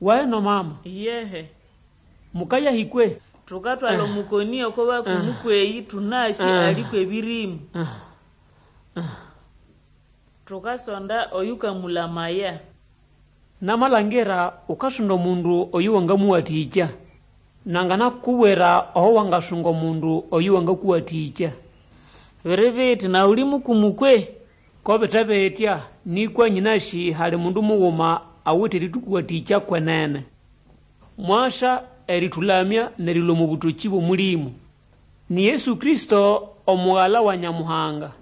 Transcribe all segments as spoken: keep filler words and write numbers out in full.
Waheno mama, Iyehe. Mukayahĩkwe? Tukatwala omukoni oko bakumu kweyi tunasi aliko ebirimu. Tukasonda oyukamulamaya. Namalangira ukasonda omundu oyo wangamuwathĩkya. Nanganakubwira aho wangasunga omundu oyo wangakuwathĩkya. Biri biti nawe uli mukumu kwe? Ko bite bitya, nĩkwa nyĩnasĩ hali mundu mughuma awithe erĩtũkũwathĩkya kwenene. Mwasa erĩtũlamya n'erilũa omo bũtokĩ bw'Omũlĩmũ. Ni Yesu Kristo omughala wa Nyamuhanga.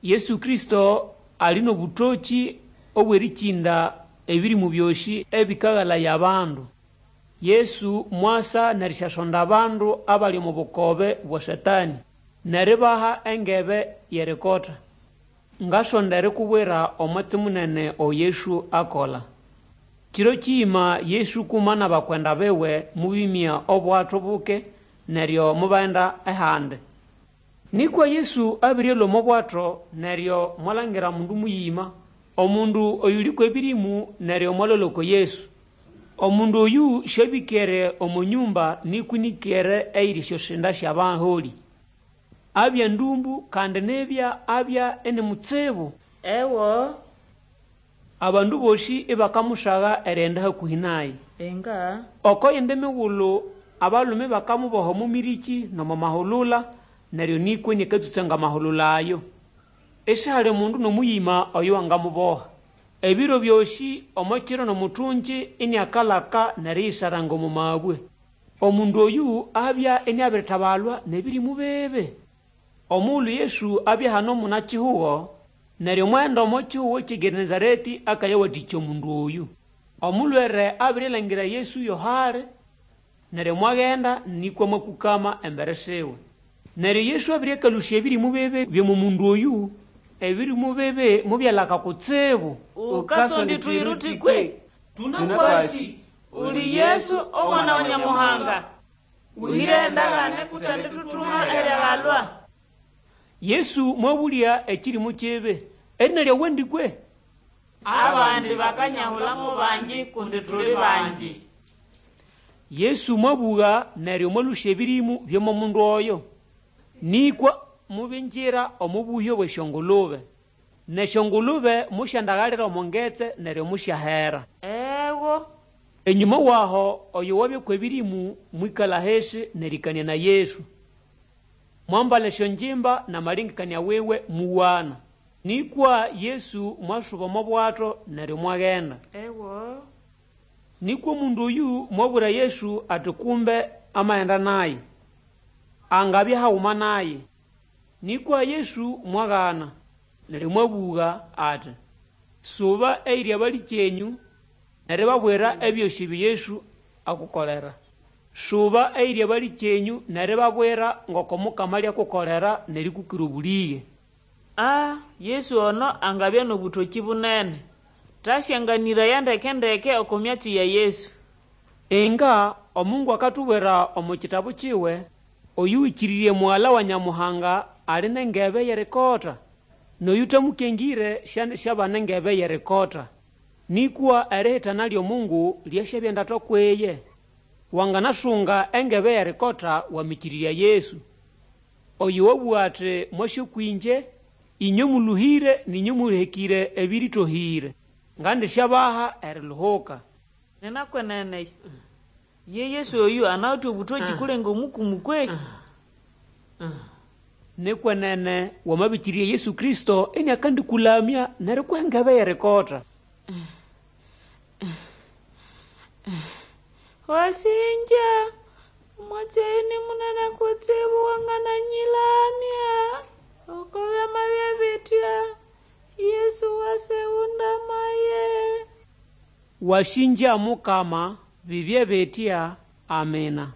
Yesu Kristo ali n'obũtokĩ obw'erĩkĩnda ebĩrĩmũ byosĩ ebĩkaghalaya abandu. Yesu mwasa n'erisyasonda abandu abali omo bukobe bwa Satani, n'eribaha engebe y'erikota. Ngasonda erikubwira omwatsi munene oyo Yesu akola. Kiro kiyima Yesu kuma n'abakwenda biwe mubimya obwato buke neryo mubaghenda ehandi. Nĩkwa Yesu abirialũa omo bwato neryo mwalangira mundu muyima, omundu oyuli kw'ebĩrĩmũ neryo mwalolya oko Yesu. Omundu oyu syabĩkere omo nyumba nĩkwa ĩnĩkere eyiri esyosinda sy'abaholĩ. Abya ndũmbũ kandi nibya abya ini mutsibu. Ewo. Abandu bosĩ ibakamusaga erighenda hakũhĩ naye. Enga. Oko yindi migulu abalume bakamuboha omo mĩrĩkĩ n'omo mahulula neryo nĩkwa iniakatsũtsanga amahulula ayo. Isihali omundu n'omuyima oyo wangamuboha. Ebiro byosĩ omo kiro n'omuthungyi iniakalaka n'eriyisaranga omo mabwe. Omundu oyu abya iniabiritabalwa n'ebĩrĩmũ bibi. Omughulu Yesu abya hano muna-kihugo, neryo mwaghenda omo kihugo ky'eGenesareti akayawathĩkya omundu oyu. Omulwere abirilangira Yesu yohali, neryo mwaghenda nĩkwa mwakũkama embere siwe. Neryo Yesu abiriakalũsya ebĩrĩmũ bibi by'omo mundu oyu, ebĩrĩmũ bibi mubyalaka kutsibu. Ukasonda ithwiruti kwe? Tunakwasi uli Yesu omwana wa Nyamuhanga. Uhire endagane kutandithuthuma erihalwa. Yesu mwabũlya ekĩrĩmũ kibi, erina lyawe ndi kwe? Abandi bakanyahula mo bangi kundi tuli bangi. Yesu mwabũga neryo mwalũsya ebĩrĩmũ by'omo mundu oyo. Nĩkwa mubingira omo buhyo bw'esyongulube. N'esyongulube musyandagalira omo ngetse neryo musyahera. Ewo. Enyuma waho oyo wabya kw'ebĩrĩmũ mwĩkala hisi n'erĩkanĩa na Yesu. Mwambala esyongimba n'amalengekania wiwe muwana. Nĩkwa Yesu mwasuba omo bwato neryo mwaghenda. Ewo. Nĩkwa omundu oyu mwabwira Yesu ati kumbe amaghenda naye, angabya haguma naye. Nĩkwa Yesu mwaghana, neryo mwabũga ati, Suba eyiri abalĩkyenyũ n'eribabwira ebyosĩ ebyo Yesu akukolera. Suba eyiri abalĩkyenyũ n'eribabwira ngoko Mukama alyakukolera n'erikukira obũlĩge. Ah, Yesu ono angabya n'obũtokĩ bunene. Tasyanganĩraya ndeke-ndeke oko myatsi ya Yesu. Inga Omungu akatubwira omo kitabu kiwe, oyũwĩkĩrĩrye mughala wa Nyamuhanga ali n'engebe y'erikota, n'oyũtamukengire syandĩsyabana engebe y'erikota. Nĩkwa erihitana ly'Omungu lyasyabya ndatwa kw'iye. Wanganasunga engebe y'erikota wamĩkĩrĩrya Yesu. Oyo wabũga ati mwase kwĩngye, inywe mũlũhĩre n'inywe mũhekĩre ebĩrĩtohĩre, ngandisyabaha eriluhuka. Ninakwenene ye Yesu oyu anawithe obũtokĩ kulenga omukumu kwe? Nikwenene wamabĩkĩrĩrya Yesu Kristo iniakandĩkũlamya n'erikuha engebe y'erikota. Wasinja, omwatsi oyu ni munene kutsibu wangananyilamya. Oko byamabya bitya, Yesu waseghundamaye. Wasingya Mukama, bibye bitya. Amina.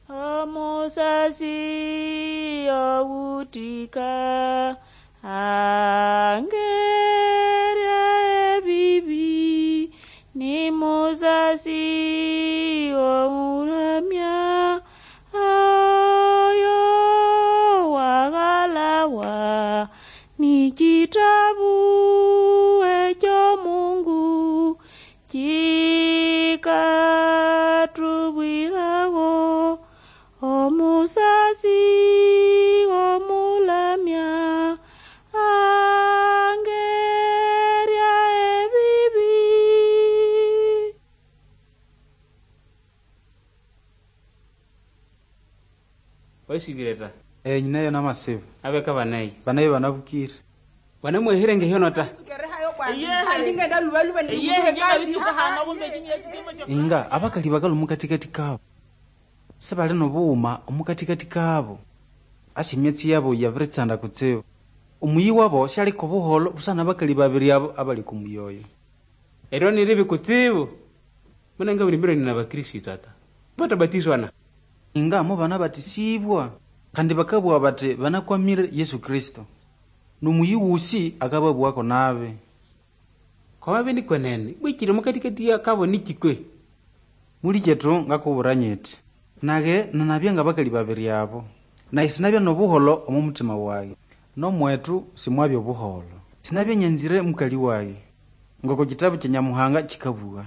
Omusasi owutika angerya ebibi ni musasi omuramya oyo wagalawa ni kitabu ekyo Mungu ki Yikatubwirago omusasi omulamya angerya ebibi. Wasibire ta. Eh, nyinayo namasiba. Abeka banayi. Banayi banabukire. Banamwehire ngehyono ta. Inga abakali bakali omukatikati kabo. Sibali nobughuma omukatikati kabo. Asi emyatsi yabo yabiritsanda kutsibu. Omuyi wabo syaliko obuholo busana abakali babiri abo abali kumuyi oyo. Eryo niribi kutsibu. Munanga buli ni nabakristo ata. Batabatizwana. Inga mo banabatisibwa kandi bakabugha bati banakwamire Yesu Kristo. Nomuyi wusi akababwako nabi. Kwa babi nikwenene, bwikire mukatikati yakabo nikikwe. Muli kyetu ngakubwira nyiti. Nage nanabya ngabakali babiri abo. Naye sinabya nobuholo omu mutima wage. Nomwetu simwabya obuholo. Sinabya nyanzire mukali wage. Ngoko kitabu kya Nyamuhanga kikabugha.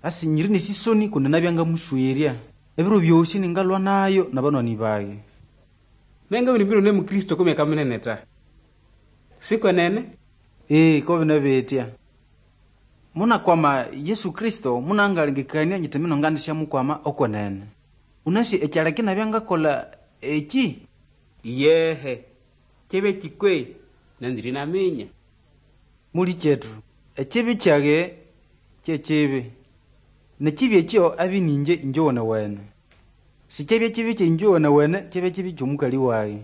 Asi nyiri nesisoni kundi nabya ngamuswerya. Ebiro byosi ningalwa nayo nabanwani bage. Nenga buli biro ne mukristo kumyaka minene ta. Sikwenene? Ee, ko bina betya. Munakwama Yesu Kristo munangalengekania nyiti mino ngandisyamukwama okwenene. Unasi ekyaleka inabya ngakolha eki? Yehe. Kyebe kikwe nanzire naminya. Muli kyetu, ekibi kyage kyekibi. Nekibi ekyo abye ninje inje wenewene. Sikyabya kibi kyinje wenewene, kyabya kibi kyomukali wage.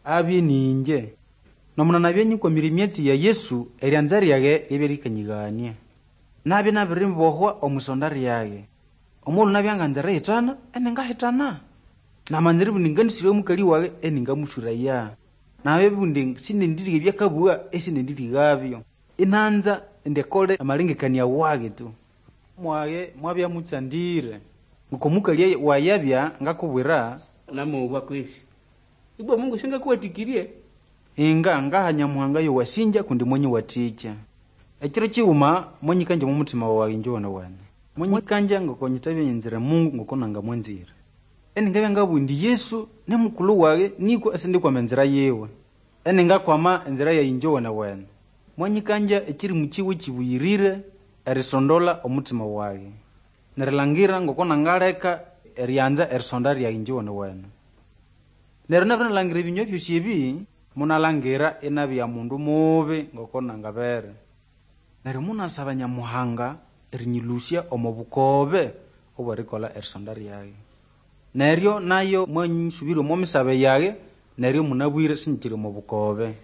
Abye ninje. Nomuna nabya nyikwamire emyatsi ya Yesu, eryanza ryage lyabya likanyighania. Nabya nabiribohwa omwisonda ryage. Omulhu nabya nganza erihitana, eningahitana. Namanza eribugha indi nganisirya omukali wage, eningamuswiraya. Nabya indi sinendirigha ebyakabugha, esinendirighabyo. Inanza indi akole amalengekania wage tu. Mwage mwabya mutsandire. Ngoko mukali wayabya ngakubwira, Namuwa kwesi. Ibwa Mungu singakuwatikirie. Inga ngaha Nyamuhanga yowasinja kundi mwanyiwathikya. Ekiro kighuma mwanyikanja omu mutima wage inje wenewene. Mwanyikanja ngoko nyitabya nyanzire Mungu ngoko nangamwanzire. Eningabya ngabugha indi Yesu nimukulhu wage nikwa esindikwama enzira yiwe. Eningakwama enzira yayi inje wenewene. Mwanyikanja ekirimu kiwe kibuyirire erisondola omutima wage. Nerilhangira ngoko nangaleka eryanza erisonda ryage inje wenewene. Neryo nabirinalhangira ebinywa byosi ebi, munalangira inabya mundu mubi ngoko nangabere. Neryo munasaba Nyamuhanga erinyilusya omo bukobe obwerikolha erisonda ryage. Neryo nayo mwanyisubirya omo misabe yage, neryo munabwire sinyikiri omo bukobe.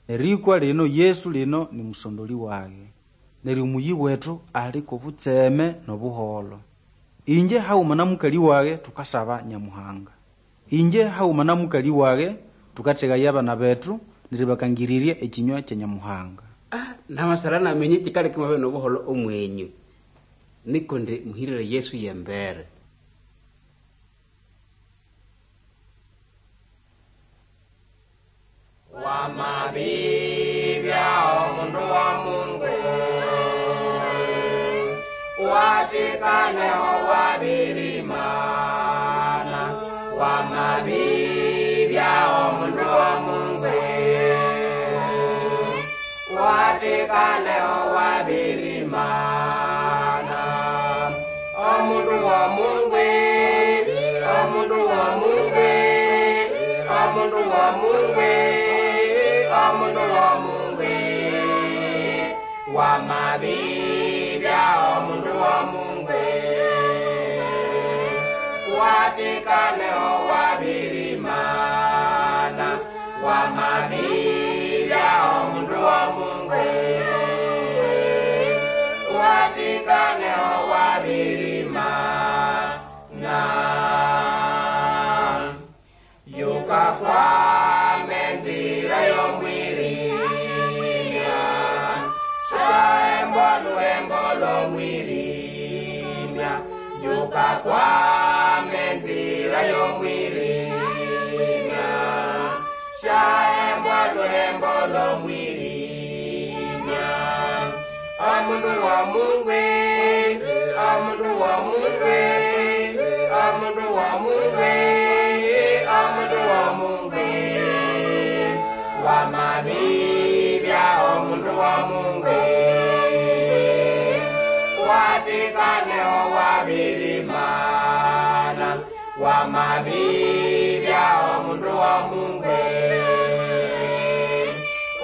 Nerikwa lino Yesu lino ni musondoli wage. Neryo omuyi wetu ali kobutseme nobuholo. Inje haghuma na mukali wage tukasaba Nyamuhanga. Inje haghuma na mukali wage tukathegaya abana bethu neribakangirirya ekinywa kya Nyamuhanga. Ah, namasara namenye kikaleka mwabe nobuholo omwenyu. Niko ndi muhirire Yesu yembere. Wamabibya omundu wa Mungu watikaneho wabirimana. Wamabibya omundu wa Mungu watikaneho wabirimana. Omundu wa Mungu, omundu wa Mungu, omundu wa Mungu, omundu wa Mungu. Wamabibya omundu wa Mungu watikaneho wabirimana. Wamabibya omundu wa Mungu watikaneho wabirimana. Yukakwame nzira yomwirimya, shaembo luembo lomwirimya. Yukakwame nzira yomwirimya, shaembo luembo lomwirimya. Omundu wa Mungu, wa Mungu, omundu wa Mungu, omundu wa Mungu, wamabibya omundu wa Mungu, watikaneho wabirimana, wamabibya omundu wa Mungu,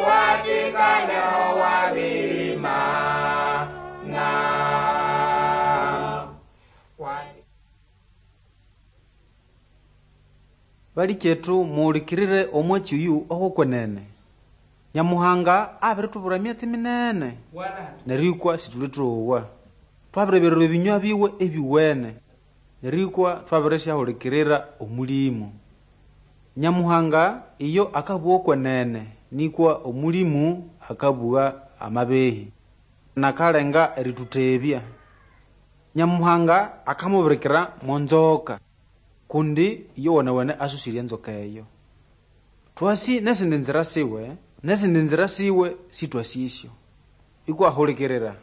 watikaneho wabirimana. Balikyetu muhulikirire omwatsi oyu ogwokwenene. Nyamuhanga abiritubwira emyatsi minene neryo ikwa situlitowa. Twabirebererwa ebinywa biwe ebiwene neryo ikwa twabirisyahulikirira omulimu. Nyamuhanga iyo akabugha okwenene nikwa omulimu akabugha amabehi nakalenga eritutebya. Nyamuhanga akamubirikira monzoka kundi iyo wenewene asusire enzoka eyo. Twasi nesindi nzira siwe, nesindi nzira siwe sitwasisyo. Ikwa hulikirira.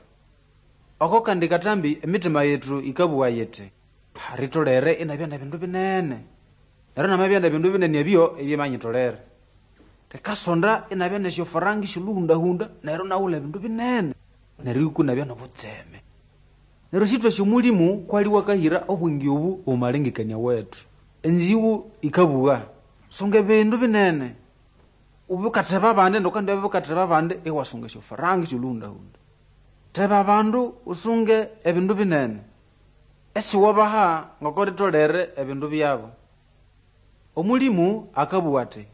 Oko kandi katambi emitima yetu ikabugha yiti, ritolere inabya nebindu binene. Neryo namabya nebindu binene ebyo ebyemanyitolere. Rikasonda inabya nesyofaranga esyoluhundahunda neryo naghulha ebindu binene. Neryo ikwa inabya nobutseme. Neryo sitwasi omulimu kwali wakahira obwenge obu omumalengekania wethu. Enziwu ikabugha, sunga ebindu binene. Ubukatheba abandi ndukandi bukatheba abandi iwasunga esyofaranga esyoluhundahunda. Theba abandu usunge ebindu binene. Esiwabaha ngoko ritolere ebindu byabo. Omulimu akabugha ati,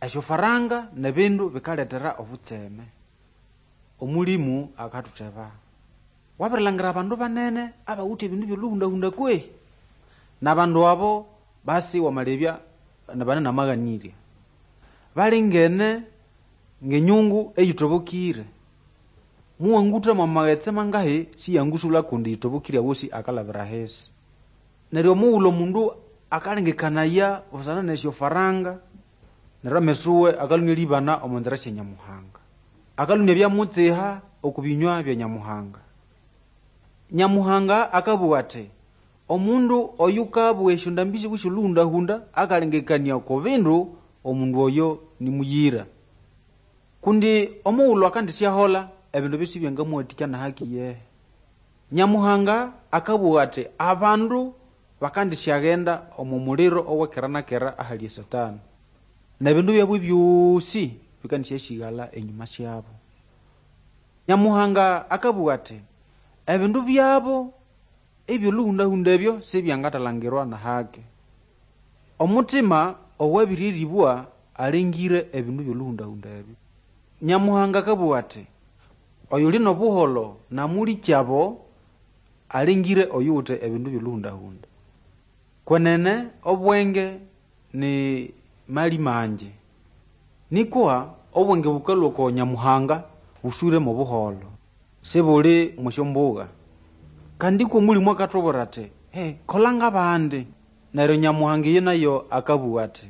esyofaranga nebindu bikaletera obutseme. Omulimu akathutheba. Wabirilhangira abandu banene abawithe ebindu byoluhundahunda kwe. N'abandu abo basi wamalebya bane namaghanirya. Balingene ng'enyungu eyitobokire. Muwangutha mwamaghetse mangahi siyangusula kundi yitobokire awosi akalabira ahisi. Neryo omughulhu omundu akalengekanaya busana nesyofaranga neryo amesuwe akalhunya eribana omo nzira sya Nyamuhanga. Akalhunya ebyamutsiha oku binywa bya Nyamuhanga. Nyamuhanga akabugha ati, omundu oyukabugha esyondambi siwe syoluhundahunda akalengekania oko bindu omundu oyo nimuyira. Kundi omughulhu akandisyahola ebindu ebyo sibyangamuwathikya nahaki yehe. Nyamuhanga akabugha ati abandu bakandisyagenda omu muliro owekera na kera ahali Satani. N'ebindu byabo ebyosi bikandisyasighala enyuma syabo. Nyamuhanga akabugha ati ebindu byabo ebyoluhundahunda ebyo sibyangathalangirwa nahake. Omutima owabiriribwa alengire ebindu byoluhundahunda ebyo. Nyamuhanga akabugha ati oyuli n'obuholo namulikyabo alengire oyuwithe ebindu byoluhundahunda. Kwenene obwenge ni mali mangi. Nikwa obwenge bukalhwa oko Nyamuhanga buswire mu buholo. Sibuli mwesyombugha. Kandi ikwa omulimu akathubwira ati, he, kola ng'abandi. Neryo Nyamuhanga iyo nayo akabugha ati,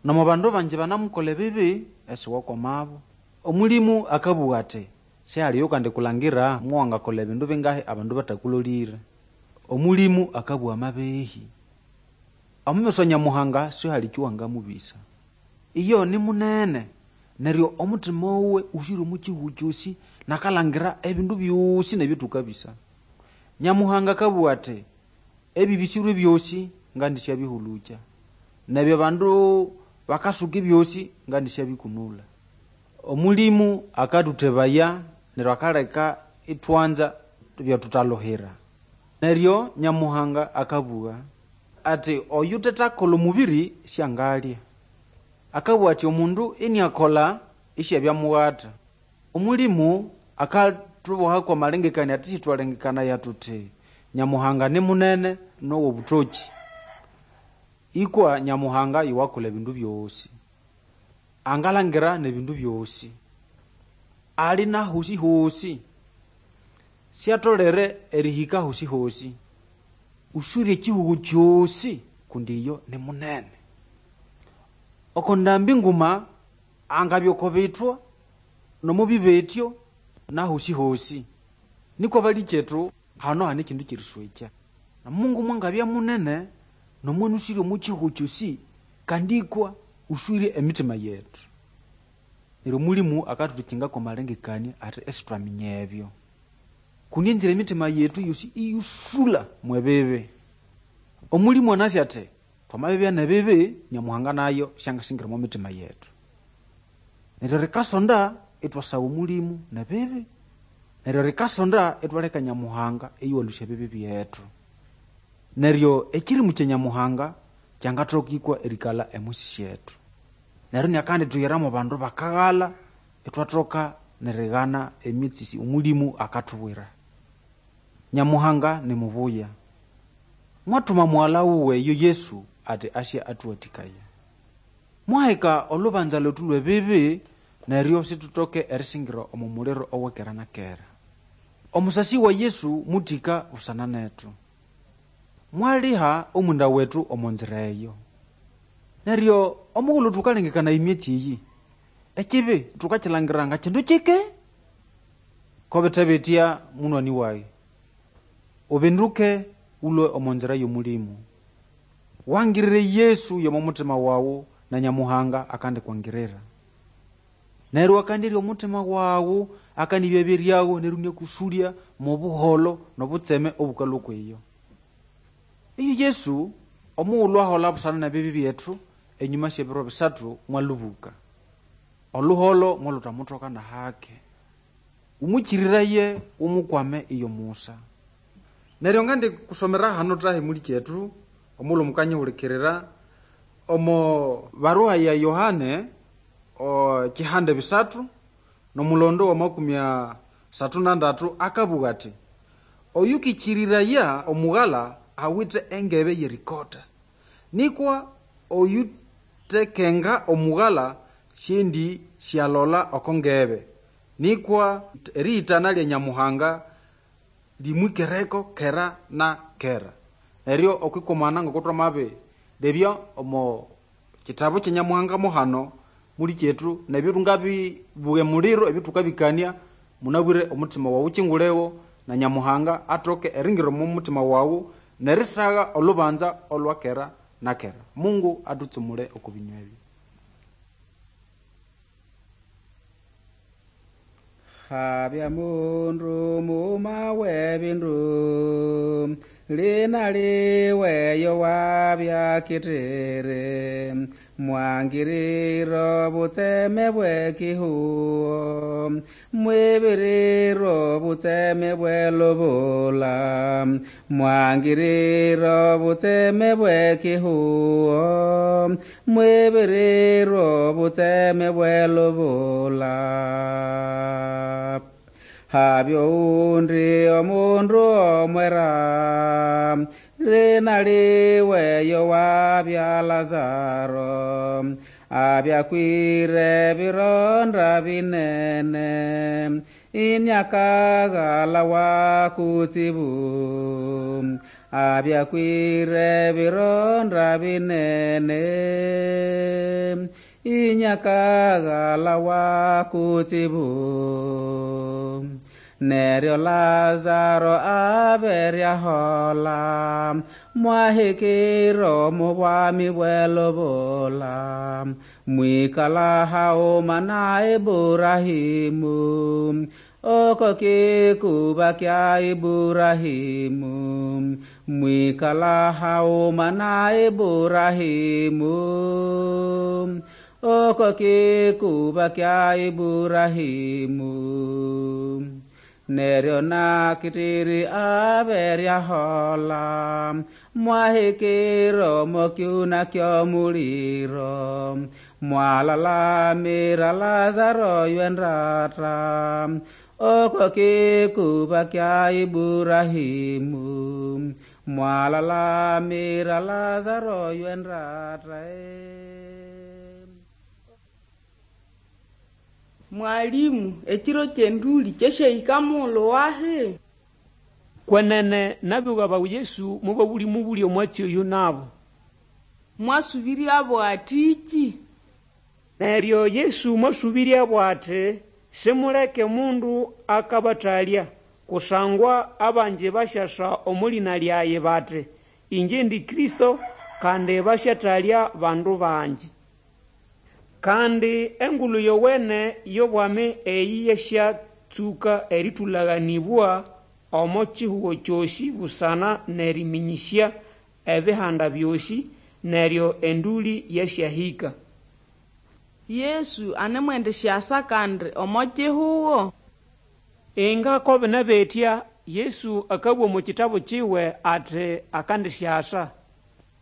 nomo bandu bangi banamukola ebibi esiwakwamabo. Omulimu akabugha ati, sihaliyo kandi kulangira muwangakola ebindu bingahi abandu batakulolire. Omulimu akabugha amabehi. Omumeso Nyamuhanga sihali kyowangamubisa. Iyo ni munene. Neryo omutima wuwe uswire omu kihugho kyosi nakalangira ebindu byosi nebyothukabisa. Nyamuhanga akabugha ati ebibisirwe byosi ngandisyabihulukya. Nebyo abandu bakasuka ebyosi ngandisyabikunula. Omulimu akathuthebaya neryo akaleka ithwanza byatuthaluhira. Neryo Nyamuhanga akabugha ati oyuthethakolha omubiri syangalya. Akabugha ati omundu iniakolha isyabyamughata. Omulimu akathuboha kwamalengekania ati sithwalengekanaya thuthi Nyamuhanga ni munene n'owobuthoki. Ikwa Nyamuhanga yuwakolha ebindu byosi. Angalangira n'ebindu byosi. Ali na hosi-hosi. Syatolere erihika hosi-hosi. Uswire ekihugho kyosi kundi iyo ni munene. Oko ndambi nguma angabya oko bithwa nomo bibetyo na hosi-hosi. Nikwa balikyethu Hano hane ekindu ky'eriswekya. Na Mungu mwangabya munene nomwana uswire omo kihugo kyosi kandi ikwa uswire emitima yetu. Neryo Omulimu akathuthikingako amalengekania ati isithwaminya ebyo. Kundi enzira emitima yetu yosi iyusula mwebibi. Omulimu anasi ati twamabibya nebibi Nyamuhanga nayo syangasingira omo mitima yetu. Neryo rikasonda ithwasaba Omulimu nebibi. Neryo rikasonda ithwaleka Nyamuhanga eyuwalũsya ebibi byethu. Neryo ekirimu kya Nyamuhanga kyangathoka ikwa erikalha emwisi syethu. Neryo inakandithuyira mo bandu bakaghalha ithwathoka nerighana emyatsi Omulimu akathubwira. Nyamuhanga ni mubuya. Mwathuma mughala wuwe yo Yesu ati asye athuwathikaya. Mwaheka olubanza lwethu lw'ebibi neryo situtoke erisingira omo muliro ow'ekera na kera. Omusasi wa Yesu muthika busana nethu. Mwaliha omwenda wethu omo nzira eyo. Neryo omughulhu thukalengekana emyatsi eyi, ekibi thukakilangira nga kindu kike? Ko bithe bitya munwani wayi, ubinduke ulwe omo nzira y'Omulimu. Wangirire Yesu y'omo mutima wawu na Nyamuhanga akandikwangirira. Neryo akandirya omutima wawu, akandibya byeryawo neryo inyakusulya mo buholo n'obutseme obukalhwa okwiyo. Iyo Yesu omughulhu ahola busana n'ebibi byethu, enyuma sy'ebiro bisathu mwalubuka. Oluholo mwaluthamuthoka n'ahake. Umukyiriraye umukwame iyo musa. Neryo ngandi kusomera hano tahi muli kyethu, omughulhu mukanyihulikirira, omo baruha ya Yohane o kihande bisathu n'omulondo wa makumi asathu na ndatu akabugha ati oyukikiriraya omughala awithe engebe y'erikota, nikwa oyutekenga omughala syendi syalola oko ngebe, nikwa erihitana lya Nyamuhanga limwikereko kera na kera. Neryo okwikomana ngoko twamabilebya omo kitabu kya Nyamuhanga muhano muli kyethu nebyo tungabibuga emuliro ebyo thukabikania munabwire omutima wawu kyingulewo na Nyamuhanga athoke eringira omo mutima wawu nerisagha olubanza olwa kera na kera. Mungu athutsumule oko binywa ebyo. Habya mundu muma w'ebindu lina liweyo wabya kitere mwangiriro butseme bw'ekihuo mwibiriro butseme bw'elubula mwangiriro butseme bw'ekihuo mwibiriro butseme bw'elubula. Habyo undi omundu omwera rina liweyo wabya Lazaro abyakwire bironda binene inyakaghala wa kutsibu abyakwire bironda binene inyakaghala wa kutsibu. Neryo Lazaro aberyahola mwahikiro mubwami bw'elubula mwikala hauma na Iburahimu oko kikuba kya Iburahimu mwikala hauma na Iburahimu oko kikuba kya Iburahimu. Neryo nakitiri aberyahola mwahikiro mokyuna ky'omuliro mwalalamira Lazaro ywendata oko kikuba kya Iburahimu mwalalamira Lazaro ywendata. Mwalimu, ekiro ky'enduli kyeshehika mughulhu wahi? Kwenene nabigha bawu Yesu mubabuli omwatsi oyu nabo. Mwasubiryabo atiki? Neryo Yesu mwasubiryabo ati simuleke mundu akabathalya, Kusangwa abangi basyasa omo lĩna lyayi bati, Ĩngye indi Kristo, kandi basyatalya bandu bangi. Kandi Engulu Yowene y'obwami eyĩ yasyatsũka erĩtũlaganĩbwa omo kihugo kyosĩ busana n'erĩmĩnyĩsya Ebihanda byosĩ, neryo endũlĩ yasyahĩka. Yesu anemwendisyasa kandi omo kihugo? Inga ko bine bitya, Yesu akabũga omo kitabu kiwe ati akandisyasa.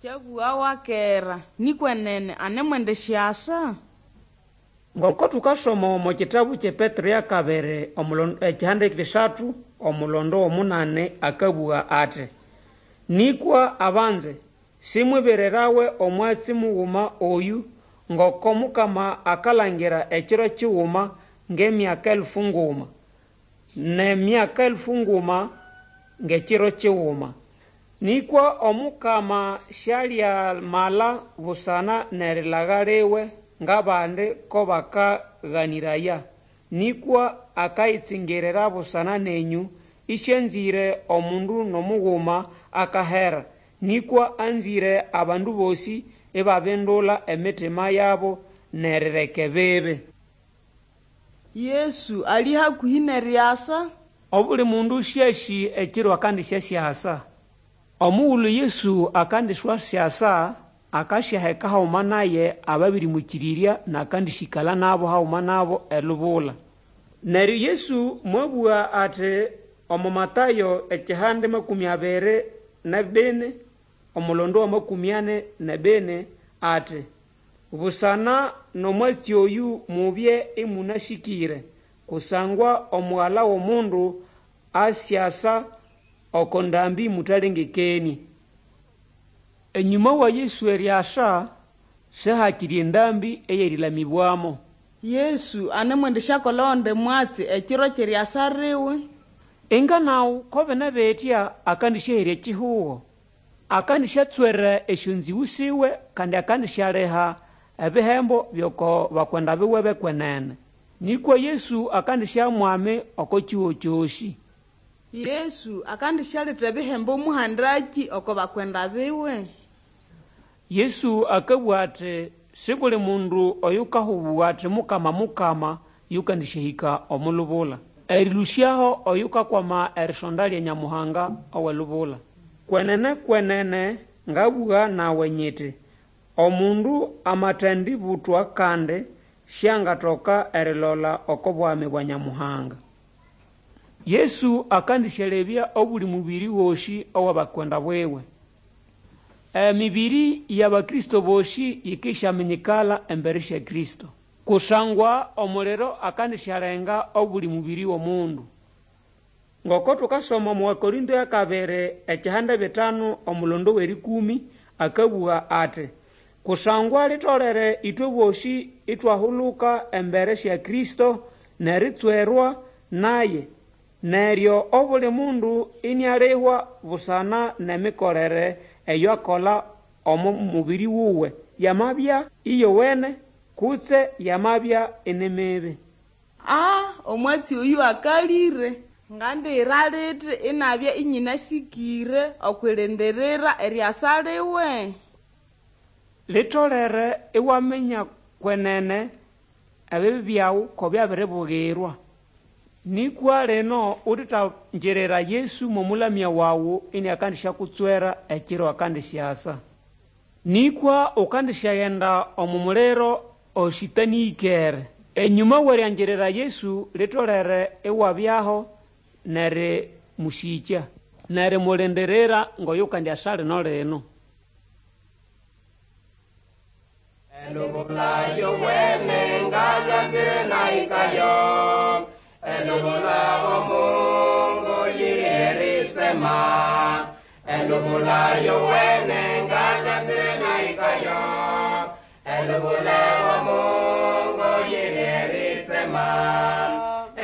Kyabũgawa kera, nĩkwa enene anemwendisyasa? Ngoko tukasoma omo kitabu ky'ePetero y'akabiri ekihanda ky'isathu omulondo w'omunani akabũga ati, Nĩkwa abanze, simwibirirawe omwatsi muguma oyu, ngoko Mukama akalangira ekiro kiguma ng'emyaka elfu nguma, n'emyaka elfu nguma ng'ekiro kiguma. Nĩkwa Omukama syalyamala busana n'erilaga liwe ng'abandi ko bakaganĩraya, nĩkwa akayitsingirira busana nenyũ, ĩsĩanzĩre omundu n'omuguma akahera, nĩkwa anzĩre abandu bosĩ ibabindula emitima yabo n'erireka ebibi. Yesu ali hakũhĩ n'eriasa? Obuli mundu syasĩ ekiro akandisyasyasa. Omughulhu Yesu akandiswasyasa, akasyaheka haghuma naye ababĩrĩmwĩkĩrĩrya n'akandĩsyĩkala nabo haghuma nabo elubula. Neryo Yesu mwabũga ati omo Matayo ekihanda makũmĩ abiri n'ebini omulondo wa makũmĩ ani n'ebini ati, Busana n'omwatsi oyu mubye ĩmũnasĩkĩre, kusangwa Omugala w'Omundu asyasa oko ndambi mũtalengekenĩe. Enyũma wa Yesu eriasa, sihakiri endambi ey'erĩlamĩbwamo. Yesu anemwendisyakola ogundi mwatsi ekiro ky'eriasa liwe? Inga nawu ko bine bitya akandisyaherya ekihugo, akandisyatswera esyonzĩgũ siwe kandi akandisyaliha ebihembo by'oko bakwenda biwe b'ekwenene. Nĩkwa Yesu akandisya mwami oko kihugo kyosĩ. Yesu akandisyaletha ebihembo muhandaki oko bakwenda biwe? Yesu akabũga ati si buli mundu oyukahubũga ati Mukama, Mukama yukandisyahĩka omo lubula. Erĩlũsyaho oyukakwama erisonda lya Nyamuhanga ow'elubula. Kwenene kwenene ngabũga nawe nyiti, omundu amatendibutwa kandi syangatoka erilola oko bwami bwa Nyamuhanga. Yesu akandisyalebya obuli mubiri gosĩ ow'abakwenda biwe. Emibiri y'Abakristo bosĩ yikisyaminyikala embere sya Kristo. Kusangwa omuliro akandisyalenga obuli mubiri w'omundu. Ngoko tukasoma omu Wakorinto y'akabiri ekihanda bitanu omulondo w'erĩkũmĩ akabũga ati, Kusangwa litolere ĩtwe bosĩ ithwahuluka embere sya Kristo n'eritswerwa naye, neryo obuli mundu inialihwa busana n'emikolere eyo akola omo mubiri wuwe, yamabya iyowene kutse yamabya ini mibi. Ah, omwatsi oyu akalĩre. Ngandiyira lithi inabya ĩnyĩnasĩkĩre okw'irindirira eriasa liwe? Litolere iwaminya kwenene ebibi byawu ko byabiribugirwa. Nĩkwa lino uthetangirira Yesu mw'omulamya wawu iniakandisyakutswera ekiro akandisyasa. Nĩkwa ukandisyagenda omo muliro osĩtanĩĩkere. Enyũma w'eriangirira Yesu litolere iwabyaho n'erimusĩkya, n'erimulindirira ng'oyukandyasa lino lino. Elubula yowene nganyanzire naikayo, elubula omungu yiritsema. Elubula yowene nganyanzire naikayo, elubula omungu yiritsema.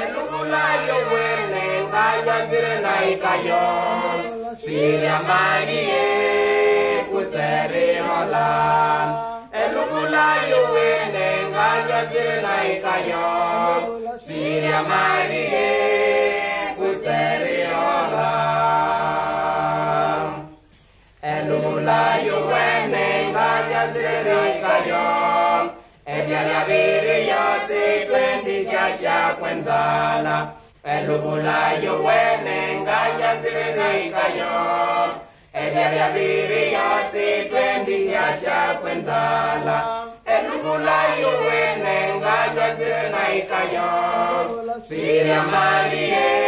Elubula yowene nganyanzire naikayo, sirya malie kutserihola. Elubula yowene nganyanzire naikayo, sirya malie kutserihola. naikayo. Ebyalya biriyo sitwendisyasya kwenzala. Elubula yowene nganyanzire naikayo. Ebyalya biriyo sitwendisyasya kwenzala. Elubula yowene nganyanzire naikayo. Sirya Marie.